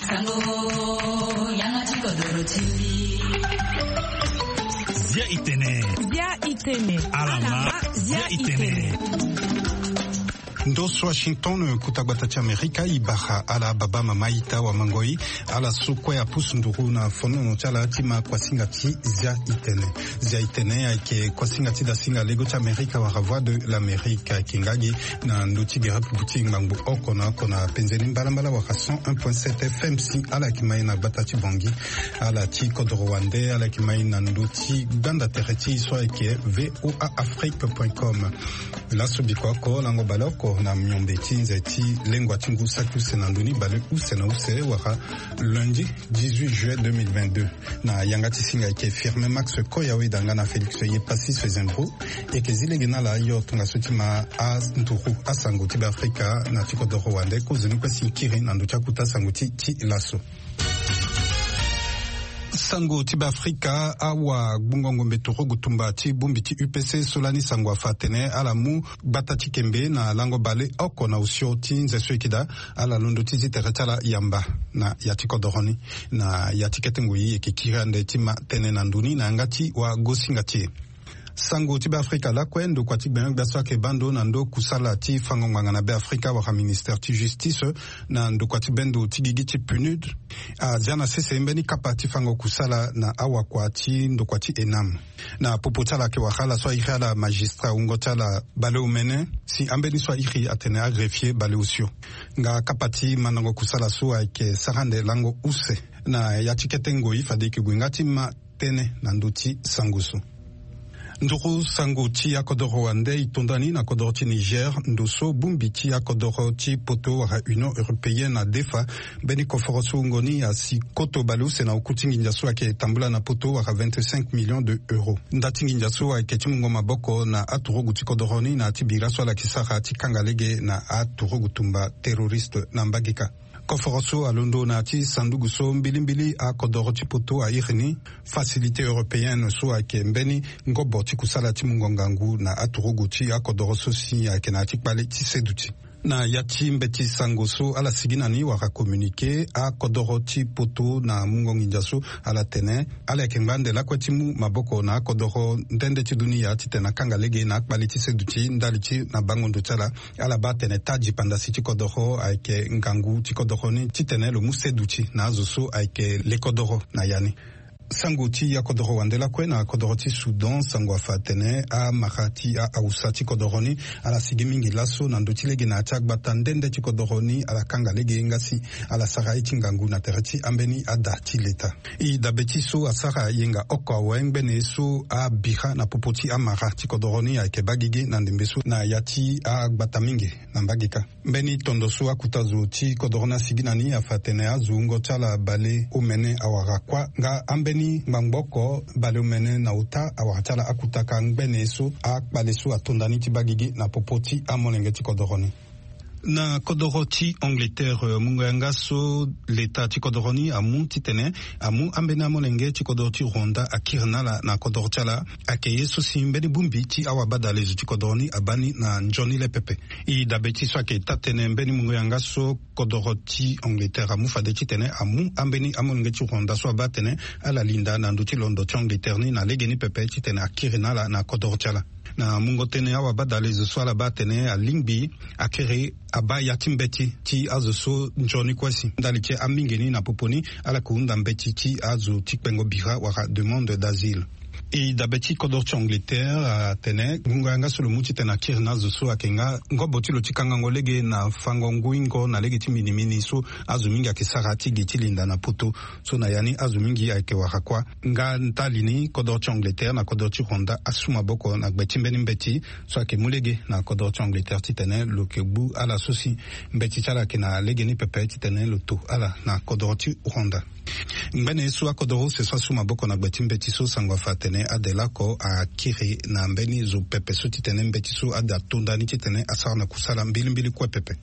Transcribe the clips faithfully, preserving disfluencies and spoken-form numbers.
Sango, yanga ti kodoro ti mbi. Zia itene. Zia itene. Alama, zia itene. Ndo so Washington, kota gbata ti Amerika, e bara ala baba mama ita wamangoi, ala so kue apusu nduru na fonono ti ala ti ma kuasinga ti Zia itene. Zia itene ayeke kuasinga ti dasinga lego ti Amerika wala Voix de l'Amérique, ayeke nga gi na ndö ti gerepe ti ngbangbo oko na oko na penze ni mbalambala wala cent un point sept F M. Si ala yeke mai na gbata ti Bangui, ala ti kodoro wande, ala yeke mai na ndö ti gbanda tere ti e so ayeke V O A Afrique point com. Laso biko oko, lango baleoko na miombe ti nze ti lengua ti ngu saki use na ndö ni, baleuse na use wala lundi dix-huit juillet deux mille vingt-deux. Na yanga ti singa ayeke Firmin Max Koya, weda nga na Félix Yepassis Fezembro. E yeke zi lege na ala ayo tongaso ti ma anduru asango ti Beafrika na ti kodoro wande. Kozoni kue si e kiri na ndö ti akuta sango ti, ti laso. Sango ti Beafrika, awagbungo-ngombe turugu tumba ti bongbi ti U P C so lani sango afa atene ala mu gbata ti kembe na lango baleoko na osio ti nze so e yeke daa, ala londo ti zi tere ti ala yamba na ya ti kodoro ni. Na ya ti kete ngoi e yeke kiri ande ti ma tënë na ndö ni na yanga ti wagosinga ti e. Sango ti Beafrika lakue, ndokua ti gbengbe gbia so ayeke baa ndo na ndo kusala ti fango ngbanga na Beafrika wala ministère ti justice na ndokua ti bendo ti gigi ti PNUD, azia na sese mbeni kapa ti fango kusala na awakua ti ndokua ti ENAM. Na popo ti ala ayeke wara ala so airi ala magistrat wungo ti ala baleomene si ambeni so airi atene agreffier baleosio. Nga kapa ti mandango kusala so ayeke sara ande lango use. Na ya ti kete ngoi fade e yeke gue nga ti ma tënë na ndö ti sango so. Nduru sango ti akodoro wande e to ndani na kodoro ti Niger, ndo so bongbi ti akodoro ti poto wala Union Européenne adefa mbeni koforo so wungo ni asi koto baleuse na oku ti nginza so ayeke tambula na poto wala vingt-cinq millions de euros. Nda ti nginza so ayeke ti mungo maboko na aturugu ti kodoro ni na ya ti bira so ala yeke sara ti kanga lege na aturugu tumba terroriste na mbagika. Koforo so alondo na ya ti sanduku so mbilimbili akodoro ti poto airi ni Facilité européenne so ayeke mbeni ngobo ti kusala ti mungo ngangu na aturugu ti akodoro so si ayeke na ya ti kpale ti seduti. Na ya ti mbeti sango so ala sigi na ni wala communiqué, akodoro ti poto na mungo nginza so ala tene ala yeke ngba ande lakue ti mu maboko na akodoro nde nde ti dunia titene akanga lege na akpale ti seduti ndali ti na bango ndo ti ala. Ala baa atene taa dipandasi ti kodoro ayeke ngangu ti kodoro ni titene lo mu seduti na azo so ayeke le kodoro na ya ni. Sango ti akodoro wande lakue na kodoro ti Soudan, sango afa atene amara ti a-awusa ti kodoro ni ala sigi mingi laso na ndö ti lege na ya ti agbata nde nde ti kodoro ni ala kanga lege nga si ala sara ye ti ngangu na tere ti ambeni ada ti leta. E dabe ti so asara yenga oko awe ngbene so abira na popo ti amara ti kodoro ni ayeke baa gigi na ndembe so na ya ti agbata mingi na mbage kâ. Mbeni tondo so akuta zo ti kodoro ni asigi na ni afa atene azo wungo ti ala baleomene awara kuâ nga ambeni ngbangbo oko baleomene na ota awara ti ala akuta kâ ngbene so akpale so ato nda ni ti baa gigi na popo ti amolenge ti kodoro ni. Na kodoro ti Angleterre, mungo yanga so leta ti kodoro ni amu titene amu ambeni amolenge ti kodoro ti Rwanda akiri na ala na kodoro ti ala. Ayeke ye so si mbeni bongbi ti awabadalezo ti kodoro ni abaa ni na nzoni le pepe. E dabe ti so ayeke taa-tënë mbeni mungo yanga so kodoro ti Angleterre amu fade titene amu ambeni amolenge ti Rwanda so abaa atene ala linda na ndö ti londo ti Angleterre ni na legeni pepe titene akiri na ala na kodoro ti ala. Na mungo tënë awabadalezo so ala baa atene alingbi akiri abaa ya ti mbeti ti azo so nzoni kue si ndali ti amingeni na popo ni ala yeke hunda mbeti ti azo ti kpengo bira wala demande d'asile. E dabe ti kodoro ti Angleterre atene ngongo yanga so lo mu titene akiri na azo so ayeke nga ngobo ti lo ti kangango lege na fango nguingo na lege ti minimini so azo mingi ayeke sara ti gi ti linda na poto. So na ya ni azo mingi ayeke wara kuâ. Nga ndali ni kodoro ti Angleterre na kodoro ti Rwanda asu maboko na gbe ti mbeni mbeti so ayeke mu lege na kodoro ti Angleterre titene lo yeke gbu ala so si mbeti ti ala ayeke na legeni pepe titene lo to ala na kodoro ti Rwanda. Ngbene so akodoro use so asu maboko na gbe ti mbeti so sango afa atene adela oko akiri na mbeni zo pepe so titene mbeti so ade ato nda ni titene asara na kusala mbilimbili kue pepe.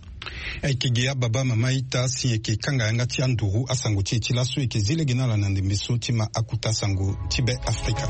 Ayeke gi ababa mama ita si e yeke kanga yanga ti anduru asango ti e ti laso. E yeke zi lege na ala na ndembe so ti ma akuta sango ti Be Afrika.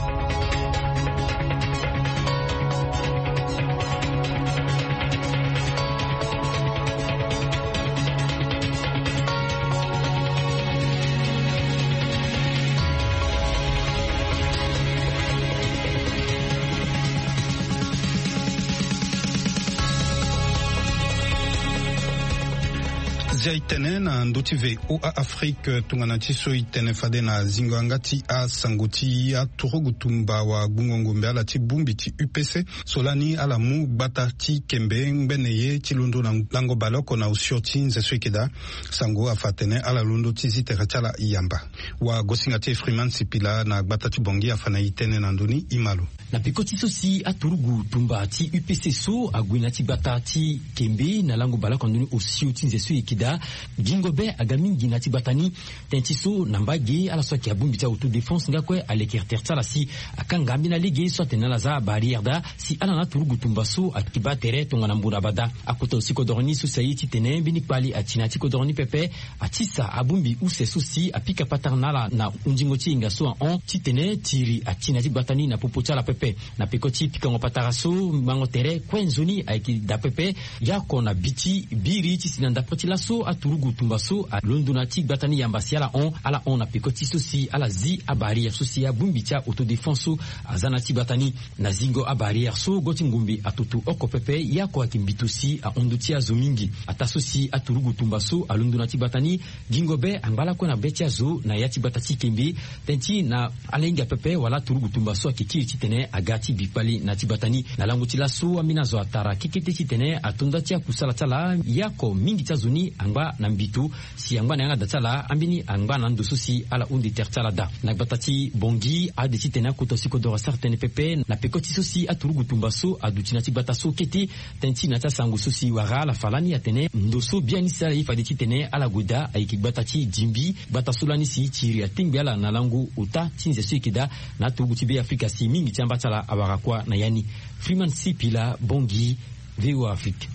Ti a itene na ndö ti VOA Afrique tongana ti so itene fade na zingo yanga ti asango ti aturugu tumba wa gbungo ngombe ala ti bongbi ti U P C so lani ala mu gbata ti kembe ngbene ye ti londo na lango baleoko na osio ti nze so eke daa. Sango afa atene ala londo ti zi tere ti ala yamba. Wa gosinga ti e Freeman Sipila na gbata ti Bangui afa na e tënë na ndö ni, e ma lo. Na peko ti so si aturugu tumba ti U P C so ague na ya ti gbata ti kembe na lango baleoko na ndö ni osio ti nze so eke daa. Gingo be aga mingi na ya ti gbata ni. Tënë ti so na mbage ala so ayeke abongbi ti a-autodéfense nga kue aleke tere ti ala si akanga ambeni alege so atene na ala za abarrière daa si ala na aturugu tumba so ayeke baa tere tongana mbu na bada. Akota osi kodoro ni so si aye titene mbeni kpali ati na ya ti kodoro ni pepe. Atisa abongbi use so si apika patara na ala na hundingo ti yenga so ahon titene tiri ati na ya ti gbata ni na popo ti ala pepe. Na peko ti pikango patara so mango tere kue nzoni ayeke daa pepe. Yaoko na bi ti biri ti si na ndapre ti laso aturugu tumba so alondo na ya ti gbata ni yamba si ala hon ala hon na peko ti so si ala zi abarrière so si abongbi ti a-autodéfense so aza na ya ti gbata ni. Na zingo abarrière so go ti ngombe atutu oko pepe yaoko ayeke mbito si ahon ndö ti azo mingi. Ataa so si aturugu tumba so alondo na ya ti gbata ni. Gingo be angba lakue na be ti azo na ya ti gbata ti kembe. Tënë ti na ala hinga pepe wala aturugu tumba so ayeke kiri titene aga ti bi kpali na ya ti gbata ni. Na lango ti laso ambeni azo atara kekete titene ato nda ti akusala ti ala yaoko mingi ti azo ni angba na mbito. Si angba na yanga da ti ala ambeni angba na ndo so si ala hunde tere ti ala daa. Na gbata ti Bangui ade titene akota si kodoro asara tënë pepe na peko ti so si aturugu tumba so aduti na ya ti gbata so kete. Tënë ti na ya ti asango so si wara ala fa lani atene ndo so biani si ala ye fade titene ala gue daa ayeke gbata ti Dimbi. Gbata so lani si tiri atengbe ala na lango ota ti nze so eke daa. Na aturugu ti Be Afrika si mingi ti amba ti ala awara kuâ na ya ni. Freeman Sipila, Bangui, VOA Afrique.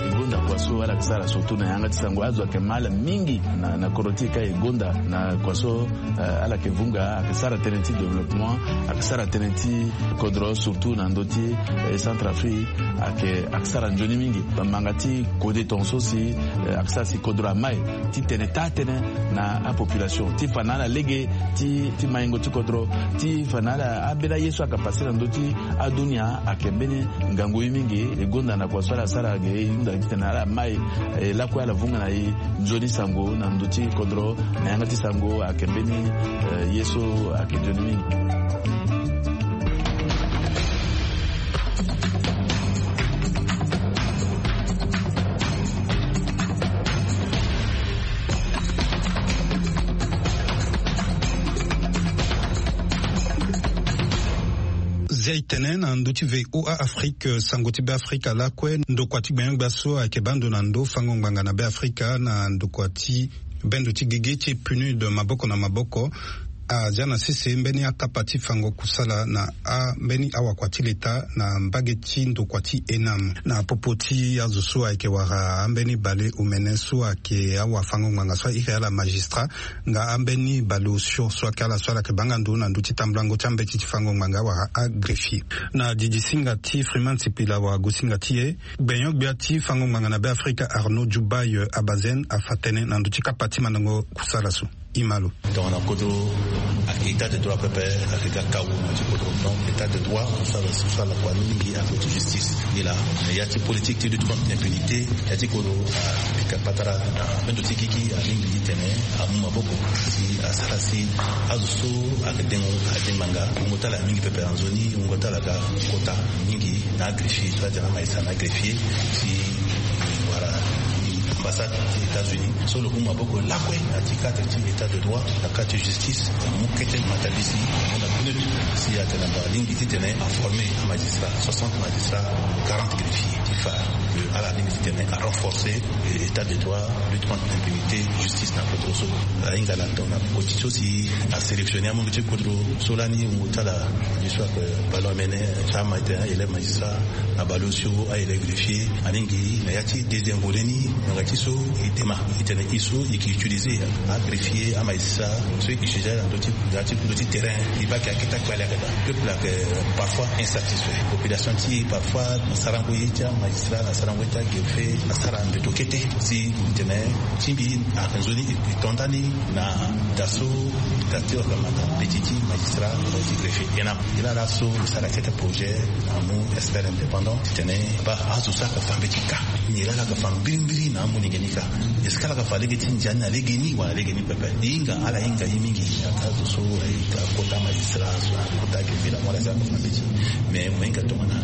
E gonda kua so ala yeke sara surtout na yanga ti sango azo ayeke ma ala mingi na, na kodro ti e ka e gonda na kua so, eh, ala yeke vunga ayeke sara tënë ti développement, ayeke sara tënë ti kodro surtout na ndö ti, eh, Centrafrique ayeke, ayeke sara nzoni mingi. Bamanga ti kode tongaso si, eh, ayeke sara si kodro amai titene taa tënë na apopulation ti fa na ala lege ti, ti maingo ti kodro ti fa na ala ambeni aye so ayeke pase na ndö ti adunia ayeke mbeni ngangu ye mingi. E gonda na kua so ala sara ge e hunda titene ala mai, eh, lakue ala vunga na e nzoni sango na ndö ti kodro na yanga ti sango ayeke mbeni, eh, ye so ayeke nzoni mingi. Zia e tene na ndö ti VOA Afrique, sango ti Be Afrika lakue, ndokua ti gbenyo-gbia so ayeke baa ndo na ndo fango ngbanga na Be Afrika na ndokua ti bendo ti gigi ti PNUD maboko na maboko. Azia na sese mbeni akapa ti fango kusala na ambeni awakua ti leta na mbage ti ndokua ti ENAM. Na popo ti azo so ayeke wara ambeni baleomene so ayeke awafango ngbanga so airi ala magistrat nga ambeni baleosio so ayeke ala so ala yeke baa nga ndo na ndö ti tambulango ti ambeti ti fango ngbanga wala agreffier. Na didisinga ti Freeman Sipila wala gosinga ti e, gbenyo-gbia ti fango ngbanga na Be Afrika Arnaud Djoubaye Abazène afa tënë na ndö ti kapa ti mandango kusala so. E ma lo. Tongana kodro ayeke état de droit pepe, ayeke ga kawu na ti kodro. Donc état de droit so ala, so ala kua ni mingi ape ti justice. Nilaa na ya ti politique ti lutte contre impunité, ya ti kodro apika patara na bendo ti gigi alingbi titene amu maboko si asara si azo so ayeke dengo adengbanga wungo ti ala mingi pepe na nzoni, wungo ti ala aga kota mingi na agreffier so atene ama e sara na agreffier si wara ambassade ti États-Unis so lo mu maboko lakue na ti cadre ti état de droit, na cadre ti justice, amu kete matabisi amu na PNUD si atene na alingbi titene aformer amagistrat, soixante magistrats, quarante greffiers ti fa ala alingbi titene arenforcer état de droit, lutte contre l'impunité, justice na kodro so. Ahinga na ndo na koti so si asélectionner amungo ti kodro so lani wungo ti ala. Ye so ayeke baleomene, ti ama ete élève magistrat, na baleosio aélève greffier. Alingbi na ya ti deuxième volet ni, ngbanga ti so e Ma e tene e so e ke utiliser agreffier amagistrat so e ke utiliser na ndö ti ndö ti terrain. E baa ke akete akpale ayeke daa peuple ayeke parfois insatisfait, population ti e parfois na sarango ye ti amagistrat na sarango ye ti agreffier asara mbeto kete. Si e tene ti mbi ayeke nzoni e to ndani na da so da ti wala na mbeti ti magistrat wala ti greffier. E na e laa laso e sara kete projet amu expert indépendant ti tene baa azo so ayeke fa mbeti ka. Nyen laa ala yeke fa mbirimbiri na amolenge ni ka? Est-ce que ala yeke fa lege ti ndia ni na lege ni wala lege ni pepe? E hinga ala hinga ye mingi. Azo so ayeke akota magistrat so akota greffier la mo ala za kota mbeti. Mais mo hinga tongana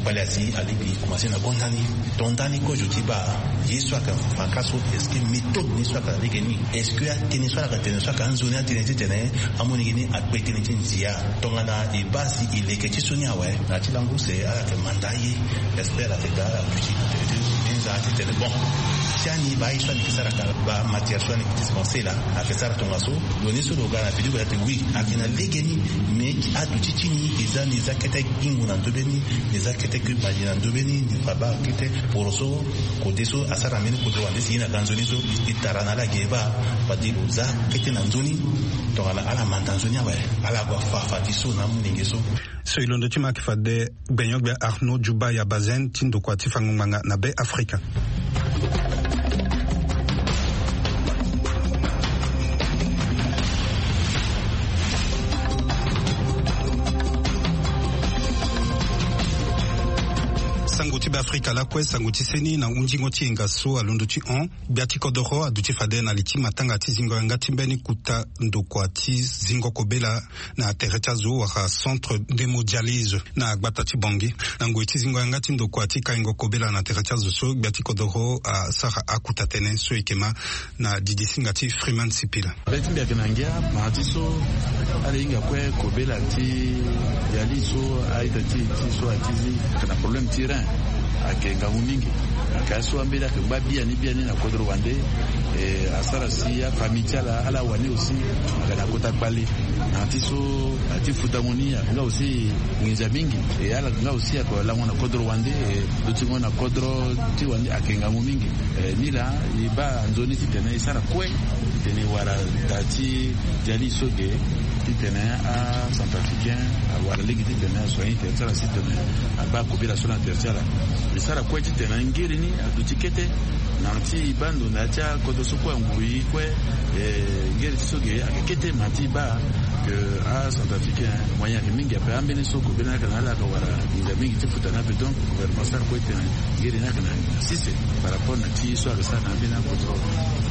kpale asi alingbi e commencer na gonda ni. To ndani kozo ti baa ye so ayeke fa ka so, est-ce que méthode ni so ayeke na lege ni? Est-ce que atënë so ala yeke tene so ayeke anzoni atënë titene amolenge ni akpe tënë ti ndia? Tongana e baa si e leke ti so ni awe na ya ti lango use ala yeke manda aye. Expert ayeke daa ala duti na tere ti nzaa titene bon, si ani baa ye so ani yeke sara ka, baa matière so ani yeke dispenser la ayeke sara tongaso. Lo ni so lo ga na vidéo ate oui, ayeke na lege ni. Mais aduti ti ni e za ni e za kete gingo na ndobe ni, e za kete kue mali na ndobe ni. Ni fa baa kete poro so kode so asara na mbeni kodro wande si ye na ga nzoni so e tara na ala ge e baa fade lo za kete na nzoni. Tongana ala manda nzoni awe, ala gue afa fade so na amolenge so. So e londo ti ma ayeke fade gbenyo-gbia Arnaud Djouba ya Bazen ti ndokua ti fango ngbanga na Be Afrika. Sango ti Be Afrika lakue, sango ti seni na hunzingo ti yenga so alondo ti hon. Gbia ti kodoro aduti fade na li ti matanga ti zingo yanga ti mbeni kuta ndokua ti zingo kobela na tere ti azo wala centre d'hémodialyse na gbata ti Bangui. Na ngoi ti zingo yanga ti ndokua ti kaingo kobela na tere ti azo so, gbia ti kodoro asara akuta tënë so e yeke ma na didisinga ti Freeman Sipila. Be ti mbi ayeke na ngia, ma ti so ala hinga kue kobela ti dialyse so a-ita ti e ti so ati zi ayeke na problème ti rein. Ayeke ngangu mingi. Ayeke aye so ambeni ayeke ngba biani biani na kodro wande. E, asara si afamille ti ala, ala wani aussi ayeke na kota kpale. Na ya ti so, na ya ti futango ni ayeke nga aussi nginza mingi. E, ala yeke nga aussi ayeke lango na kodro wande. E, dutingo na kodro ti wande ayeke ngangu mingi. E, nilaa e baa nzoni titene e sara kue titene e wara da ti dialyse so ge, titene acentrafricain awara lege titene asoigner tene ti ala si tene abaa kobela so na tere ti ala. E sara kue titene ngiri ni aduti kete. Na ti e baa ndo na ya ti akodro so kue anguru e kue, e, ngiri ti so ge ayeke kete, ma ti e baa ke acentrafricain moyen ayeke mingi ape. Ambeni so kobela ni ayeke na ala ayeke wara nginza mingi ti futa ni ape. Donc gouvernement asara kue titene ngiri ni ayeke na sese par rapport na ti so ayeke sara na ambeni akodro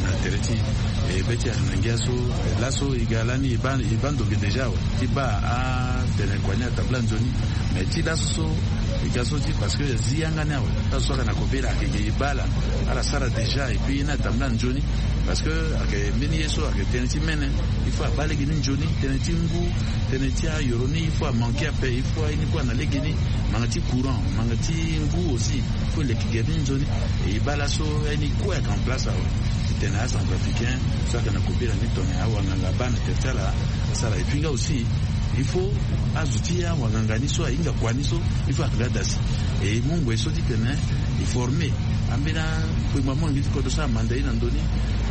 na tere ti e. E, be ti e ayeke na ngia so, e, laso e ga lani e baa, e baa ndo ge déjà awe ti baa atene kua ni atambula nzoni. Mais ti laso so e ga so ti, parce que azi yanga ni awe, laso so ayeke na kobela ayeke ge e baa ala, ala sara déjà et puis ye ni atambula nzoni. Parce que ayeke mbeni ye so ayeke tënë ti mene, il faut abaa lege ni nzoni, tënë ti ngu, tënë ti ayoro ni il faut amanke ape, il faut aye ni kue ana lege ni, manga ti courant, manga ti ngu aussi, il faut e leke gere ni nzoni. E baa laso aye ni kue ayeke en place awe titene acentrafricain so ayeke na kobela ni tongana awanganga abaa na tere ti ala asara. Et puis nga aussi il faut azo ti awanganga ni so ahinga kua ni so, il faut ayeke nga dasi. E mu ngoi so titene e former ambeni akpengba molenge ti kodro so amanda ye na ndö ni,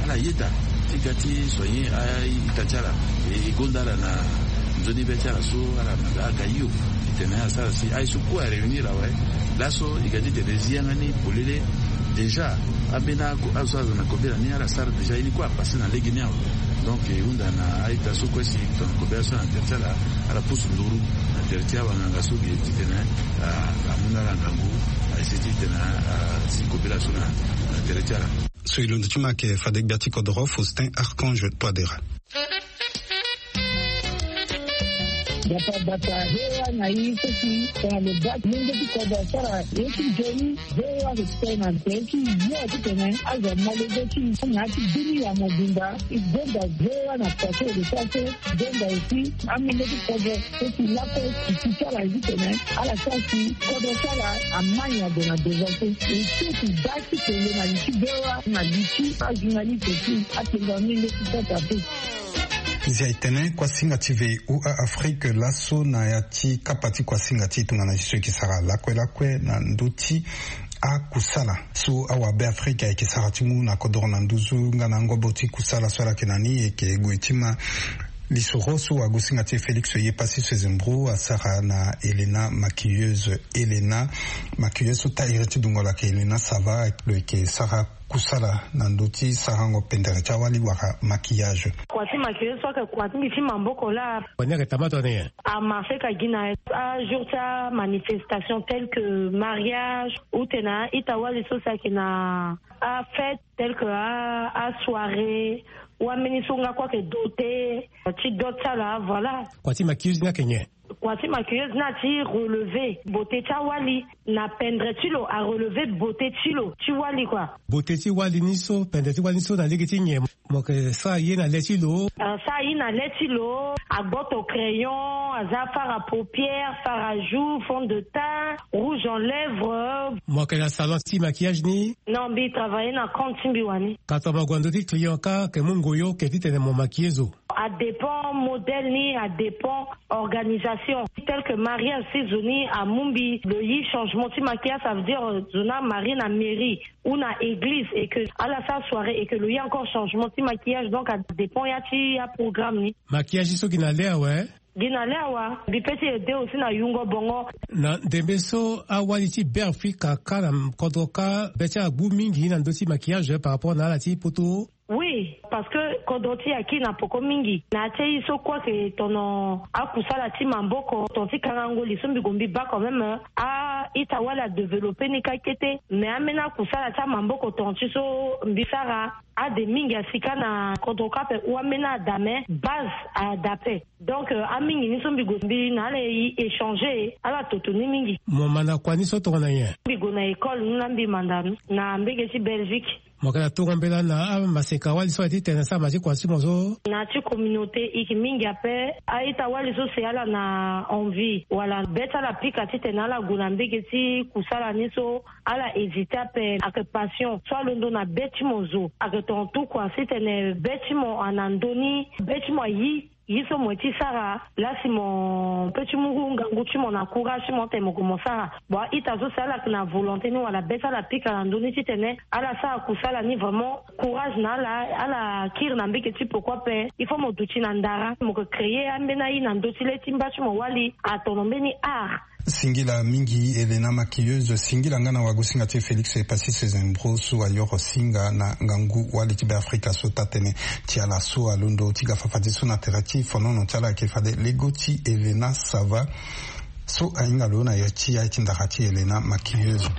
ala yeda ti ga ti soigner a-ita ti ala. E gonda ala na nzoni be ti ala so ala manda aga hio titene asara si aye so kue aréunir awe. Laso e ga titene e zi yanga ni polele. Déjà ambeni azo so aza na kobela ni ala sara déjà ye ni kue apasser na lege ni awe. Donc e hunda na a-ita so kue si tongana kobela so na tere ti ala, ala pusu nduru na tere ti awanganga so ge titene a, amu na ala ngangu, a essayer titene a, azi kobela so na, na tere ti ala. So e londo ti ma ayeke fade gbia ti kodoro Faustin Archange Touadéra. Bata bata, V O A na e so si tongana lo baa ti lenge ti kodro asara ye ti nzoni, V O A ayeke tene na tere ti yo titene azo amolenge ti na ya ti bini ya mobimba. E gonda V O A na kua so e lo sara so, gonda aussi amolenge ti kodro so si lakue e ti ti ala titene ala sara si kodro ti ala ama nyen ague na devant so. E so e ti baa ti tene na li ti V O A na li ti ajournaliste ti akpengba molenge ti Centrafrique. Nzia e tene kuasinga ti V O A Afrique laso na ya ti kapa ti kuasinga ti e tongana e so e ke sara lakue lakue na ndö ti akusala so awabeafrika ayeke sara ti mu na kodoro na nduzu nga na ngobo ti kusala so ala yeke na ni, e yeke gue ti ma lisoro so wagosinga ti e Félix Yepassis Sezembro asara na Helena Maquilleuse. Helena Maquilleuse so taire ti dungo lo ayeke Helena Sava, lo yeke sara kusala na ndö ti sarango pendere ti awali wala maquillage. Kua ti maquilleuse so ayeke kua ti mbi ti maboko laa. Wani ayeke tama tongana nyen? Amarché ka gi na ajour ti amanifestation tel que mariage, ou tena a-ita wali so si ayeke na afête tel que a, asoirée, ou ambeni so nga kue ayeke doté ti dot ti ala, voilà. Kua ti maquilleuse ni ayeke nyen? Kua ti maquilleuse ni ati relever beauté ti awali, na pendere ti lo arelever beauté ti lo ti wali kua. Beauté ti wali ni so, pendere ti wali ni so na lege ti nyen? Mo yeke sara ye na le ti lo. Asara ye na le ti lo, agboto crayon, aza fard à paupières, fard à joues, fond de teint, rouge en lèvres. Mo yeke na salon ti maquillage ni? Non, mbi travailler na compte ti mbi wani. Ka tongana mo gue na ndö ti client kâ, ayeke mu ngoyo, ayeke titene mo maquiller zo? Adépend modèle ni, adépend organisation. Tel que mariage, si zo ni amu mbi lo yi changement ti maquillage, ça veut dire, euh, zo ni amarie na mairie ou na église et que ala sara soirée et que lo yi encore changement ti maquillage, donc adépend ya ti aprogramme ni. Maquillage so gi na le awe? Gi na le awa. Mbi peut ti aider aussi na yungo bongo. Na ndembe so awali ti Beafrika kâ na kodro kâ be ti ala gbu mingi na ndö ti maquillage par rapport na ala ti poto? Oui, parce que kodro ti e akiri na poko mingi. Na ya ti aye so kue ayeke tono akusala ti maboko, ton ti kangango li so mbi gue mbi baa quand même, a-ita wali adévelopper ni kâ kete. Mais ambeni akusala ti amaboko ton ti so mbi sara, ade mingi asi kâ na kodro kâ ape, ou ambeni ada, mais base ada ape. Donc, euh, amingi ni so mbi gue mbi na ala e échanger, ala toto ni mingi. Mo mä na kua ni so tongana nyen? Mbi gue na école ni laa mbi mä nda ni na mbege ti Belgique. Mo yeke na tongo mbela na amaseka wali so aye titene asara ma ti kua ti mo so? Na ya ti communauté e yeke mingi ape. A-ita wali so si ala na envie wala be ti ala pika titene ala gue na mbege ti kusala ni so, ala hésiter ape. Ayeke passion so alondo na be ti mo zo. Ayeke tonga tout kua titene be ti mo ana ndö ni, be ti mo ayi ye so mo ye ti sara. Laa si mo peut ti mu ngangu ti mo na courage ti mo tene mo gue mo sara. Bon, a-ita so si ala yeke na volonté ni wala be ti ala pika na ndö ni titene ala sara kusala ni, vraiment courage na ala. Ala kiri na mbege ti poko ape. Il faut mo duti na ndara, mo yeke créer ambeni aye na ndö ti le ti mba ti mo wali, atono mbeni art. Singila mingi Helena Maquilleuse, singila nga na wagosinga ti e Félix Epassis Sezembro so ayoro singa na ngangu wali ti Beafrika so taa tënë ti ala so alondo ti ga fafadeso na tere ti fonono ti ala. Ayeke fade lego ti Helena Sava so ahinga lo na ya ti aye ti ndara ti Helena Maquilleuse.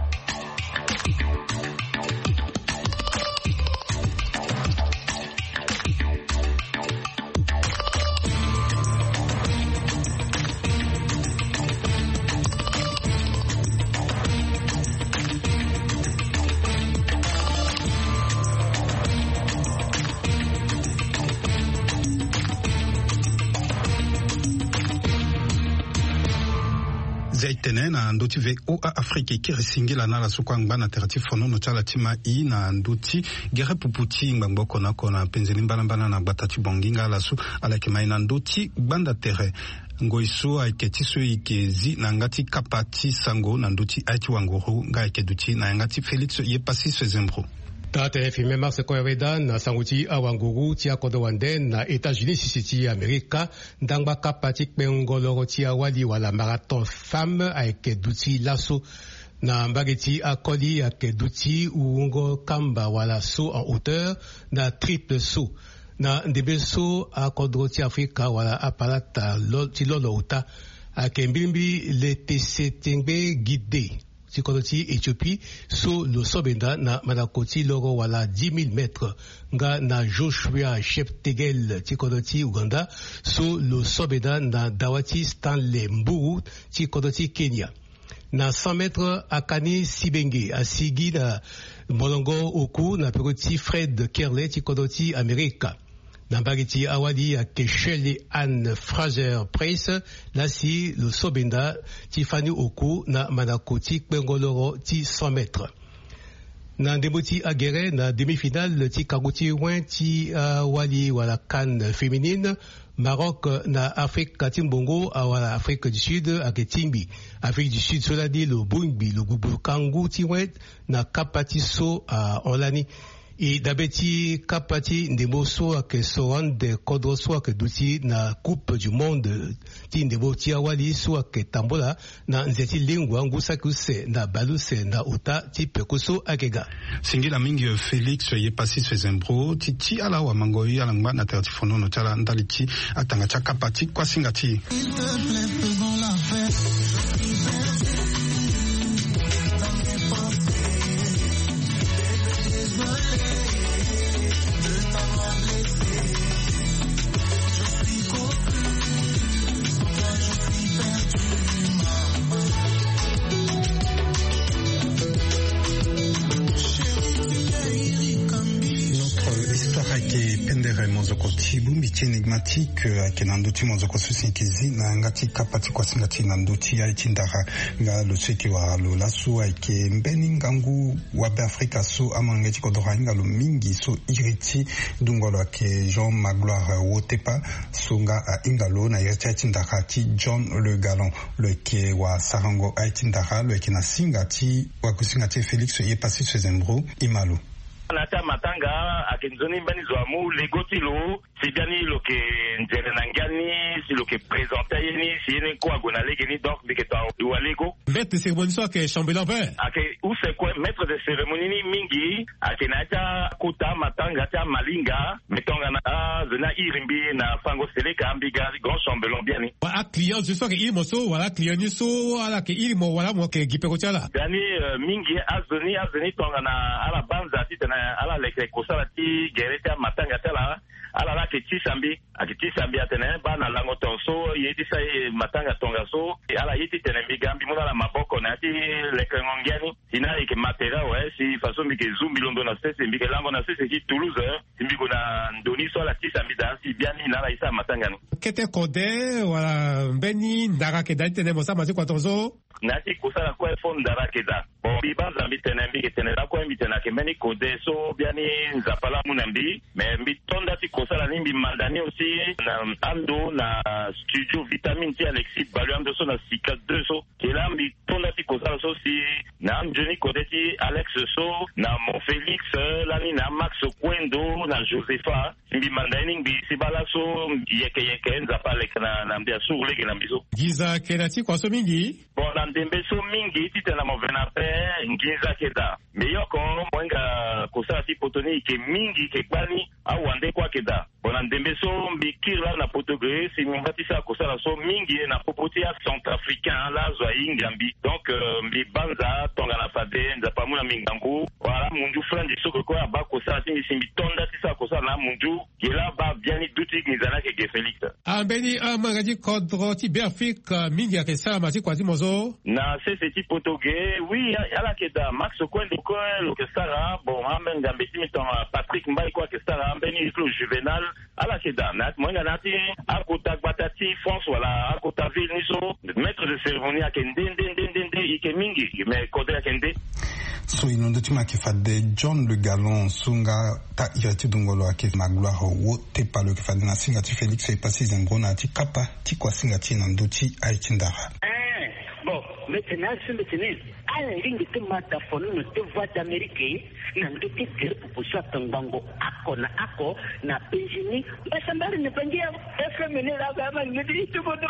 Zia e tene na ndö ti V O A Afrique e kiri singila na ala so kue angba na tere ti fonono ti ala ti ma i na ndö ti gere pupu ti ngbangbo oko na oko na penze ni mbalambala na gbata ti Bangui nga ala so ala yeke ma i na ndö ti gbanda tere. Ngoi so ayeke ti so e yeke zi na yanga ti kapa ti sango na ndö ti aye ti wanguru nga ayeke duti na yanga ti Félix Yepassis Sezembro. Taa tene filme Mars Koyaweda na sango ti awanguru ti akodro wande na États-Unis sisi ti Amerika. Ndangba kapa ti kpengo loro ti awali wala marathon femme ayeke duti laso. Na mbage ti akoli ayeke duti wungo kamba wala saut en hauteur na triple saut. Na ndembe so akodro ti Afrika wala apalata lo, ti lolo ota ayeke mbilimbili Letesetengbe Gide ti kodro ti Éthiopie so lo so benda na mandako ti loro wala dix mille mètres, nga na Joshua Cheptegei ti kodro ti Ouganda so lo so benda na dawa ti Stanley Mburu ti kodro ti Kenya. Na cent mètres, Akani Sibenge asigi na molongo oku na peko ti Fred Kerley ti kodro ti Amerika. Na mbage ti awali ayeke Shirley Ann Fraser Pryce laa si lo so benda ti fani oku na mandako ti kpengo loro ti cent mètres. Na ndembo ti agere na demi-finale ti kangu ti win ti awali wala CAN féminine, Maroc na Afrika ti Mbongo, awala Afrique du Sud, ayeke tingbi Afrique du Sud so lani lo bongbi lo gbugbu kangu ti win na kapa ti so ahon lani. E dabe ti kapa ti ndembo so ayeke so ande kodro so ayeke duti na Coupe du Monde ti ndembo ti awali so ayeke tambola na nze ti lengua ngu saki use na baleuse na ota ti peko so ayeke ga. Singila mingi Félix Yepasi Sezembro ti ti ala wamangoi ala ngba na tere ti fonono ti ala ndali ti atanga ti akapa ti kuasinga ti e. Notre histoire ayeke pendere mozoko ti bongbi ti énigmatique, euh, ayeke na ndö ti mozoko so si yeke zi na yanga ti kapa ti kuasinga ti e na ndö ti aye ti ndara. Nga lo so yeke wara lo laso ayeke mbeni ngangu wabe Afrika so amolenge ti kodro ahinga lo mingi so iri ti dungo lo ayeke Jean Magloire Wotepa, so nga ahinga lo na iri ti aye ti ndara ti John Le Gallon. Lo yeke wasarango aye ti ndara, lo yeke na singa ti wakusinga ti e Félix Yepasi Sezembro. Ima lo. Na ya ti amatanga ayeke nzoni mbeni zo amu lego ti lo, si biani lo yeke nzere na ngia ni, si lo yeke présenter aye ni, si ye ni kue ague na lege ni, donc mbi yeke to awa lego. Maître de cérémonie so ayeke chambellan vert. Ayeke use kue, maître de cérémonie ni mingi ayeke na ya ti akota amatanga ti amalinga. Mais tongana azo ni airi mbi na fango seleka, mbi ga grand chambellan biani. Wala aclient zo so ayeke iri mo so, wala aclient ni so ala yeke iri mo, wala mo yeke gi peko ti ala? Biani, euh, mingi azo ni, azo ni tongana ala banza titene ala leke kosala ti gere ti amatanga ti ala, ala la ayeke tisa mbi, ayeke tisa mbi atene baa na lango tongaso ye ti sa ye matanga tongaso, ala ye titene mbi ga mbi mu na ala maboko na ya ti lekengo ngia ni. Si na ala yeke matériel awe, si façon mbi yeke zu mbi londo na sese, mbi yeke lango na sese ti Toulouse, si mbi gue na ndo ni so ala tisa mbi daa, si biani na ala ye sara matanga ni. Kete kode wala mbeni ndara ayeke daa ti tene mo sara ma ti kua tongaso? Na ya ti kosala kue fo ndara ayeke daa. Bon, mbi banza mbi tene, mbi yeke tene lakue, mbi tene ayeke mbeni kode so biani Nzapa laa amu na mbi. Mais mbi to nda ti kosala ni, mbi manda ni aussi na ando na studio Vitamine ti Alexis Balu, ando so na Sika deux so. Ke laa mbi to nda ti kosala so si na anzoni kode ti Alex so, na Mon Félix, lani na Max Kuendo, na Josepha. Mbi manda ye ni ngbii si baa laso yeke yeke Nzapa aleke na, na mbi, asuru lege na mbi so. Nginza ayeke na ti kua so mingi? Bon, na ndembe so mingi titene na mo ve na ape, nginza ayeke daa. Mbi yoko mo hinga kosala ti poto ni yeke mingi, yeke gbani, awande kue ayeke daa. Bon, na ndembe so mbi kiri laa na poto ge, si mbi ngba ti sara kosala so mingi na popo ti acentrafricain laa azo ahinga mbi. Donc, euh, mbi banza tongana fade Nzapa amu na mbi ngangu. Wala amunzu Franzi so kue abaa kosala ti mbi si mbi to nda ti sara kosala na amunzu. Ge laa abaa biani duti nginza ni ayeke ge Félix. Ambeni amolenge ti kodro ti Beafrika mingi ayeke sara ma ti kua ti mo so? Na sese ti poto ge, oui, a-, ala yeke daa. Max Kuendo kue lo yeke sara. Bon, ambeni ngambe ti mbi tongana Patrick Mbaye kue ayeke sara, ambeni Claude Juvenal. Ala yeke daa. Na ya ti mo hinga na ya ti akota gbata ti France wala akota ville ni so, maître de cérémonie ayeke nde, nde, nde, nde, nde, e yeke mingi, mais kode ayeke nde. So e na ndö ti mo ayeke fade John Le Gallon so nga taa iri ti dungo lo ayeke Magloire Wotepa, lo yeke fade na singa ti Félix Yepasi Zembro na ya ti kapa ti kuasinga ti e na ndö ti aye ti ndara. Eh, bon, mbi tene aye so mbi tene, ala lingbi ti ma da fonono ti Voix d'Amérique na ndö ti gere pupu so atongbango oko na oko na Benjini. Mbasambari na Bangi ya F M ni laa, ba ma ngedi ti bodo.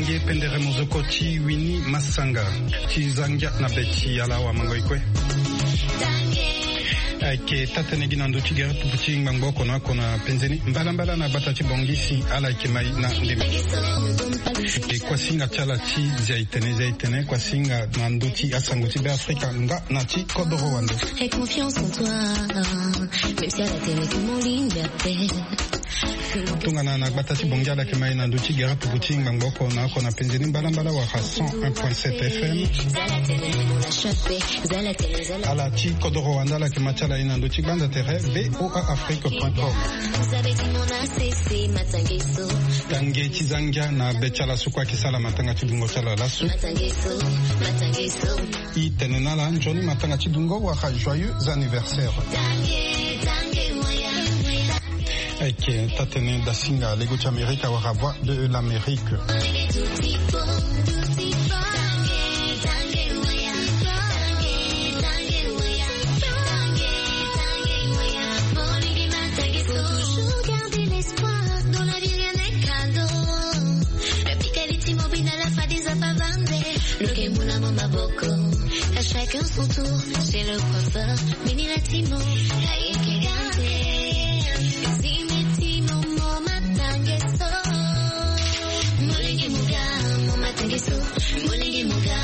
Nge pendere mozoko ti wini masanga ti zangia na be ti ala awa mango ikue. Ayeke taa-tënë gi na ndö ti gere pupu ti ngbangbo oko na oko na penze ni mbalambala na gbata ti Bangui si ala yeke mai na ndembe. E kuasinga ti ala ti zia itene zia itene kuasinga na ndö ti asango ti Beafrika nga na ti kodoro wande. Tongana na gbata ti Bangui ala yeke mai na ndö ti gere pupu ti ngbangbo oko na oko na penze ni mbalambala wala cent un point sept F M. Ala ti kodoro wande ala yeke ma ti ala ye na ndö ti gbanda tere V O A Afrique point com. Tange ti zangia na be ti ala so kue ayeke sala matanga ti dungo ti ala laso. I tene na ala nzoni matanga ti dungo wala joyeux anniversaire. Ayeke taa-tënë dasinga lego ti Amerika wala Voix de l'Amérique. Faut toujours garder l'espoir, dans la vie rien n'est cadeau. Lo yeke mu na mo maboko. À chacun son tour, chez le coiffeur, Mini Latimo. Ayeke gande. Zimi ti mo mo matange so. Molenge mo ga, mo matange so. Molenge mo ga.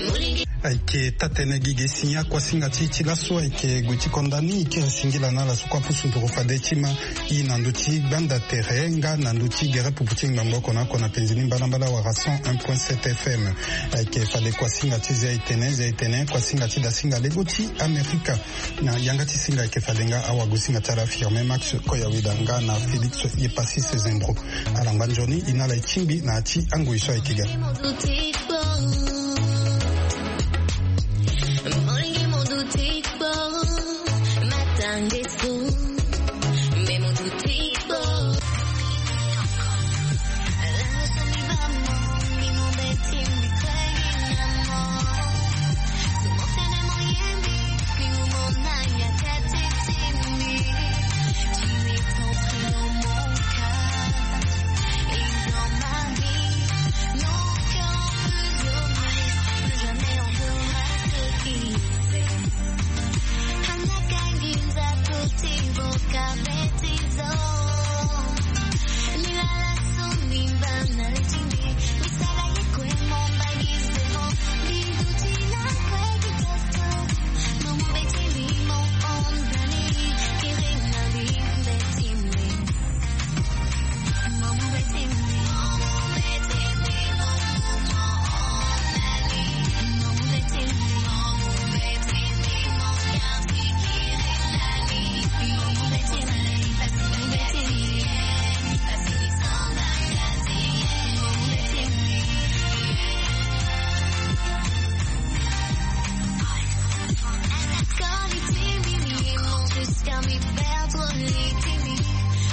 Molenge. Ayeke taa-tënë gi ge si akuasinga ti e ti laso ayeke gue ti konda ni e kiri singila na ala so kue apusu nduru fade ti ma. I na ndö ti gbanda tere nga na ndö ti gere pupu ti ngbangbo oko na oko na penze ni mbalambala wala cent un point sept F M. Ayeke fade kuasinga ti zia itene zia itene kuasinga ti dasinga lego ti Amerika. Na yanga ti singa ayeke fade nga awagosinga ti ala Firmin Max Koyaweda nga na Félix Yepasis Zendro. Ala ngba nzoni e na ala e tingbi na ya ti angoi so ayeke ga.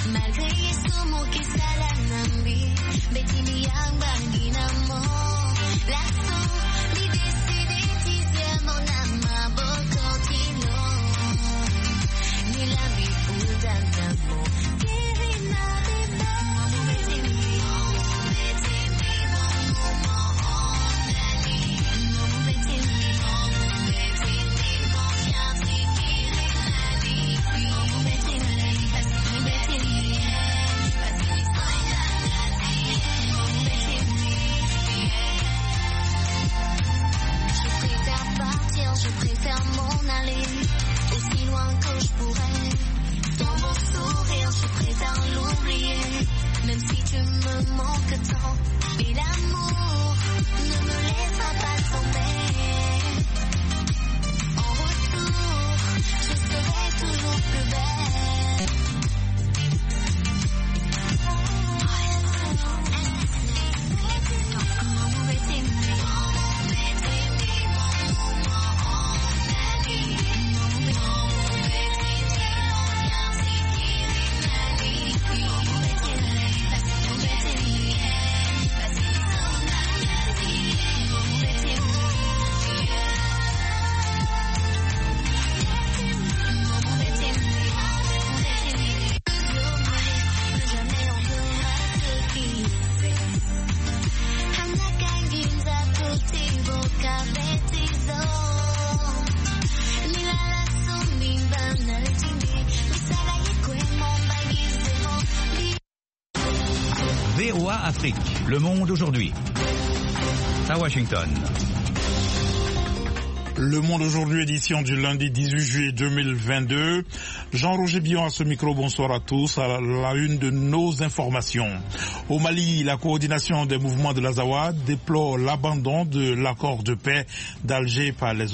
Malgré ye so mo ke sala na mbi, mbeti mbi yangba ngi na mo. Laso mbi décidé ti zia mo na maboko ti lo. Ni la mbi futa na mo. Kiri na mbi ba. Je préfère partir, je préfère m'en aller, aussi loin que je pourrais. Dans mon sourire, je préfère l'oublier, même si tu me manques tant. Et l'amour ne me laissera pas tomber. En retour, je serai toujours plus belle. Le Monde aujourd'hui, à Washington. Le Monde aujourd'hui, édition du lundi dix-huit juillet deux mille vingt-deux. Jean-Roger Billon à ce micro, bonsoir à tous. À la une de nos informations. Au Mali, la coordination des mouvements de l'Azawad déplore l'abandon de l'accord de paix d'Alger par les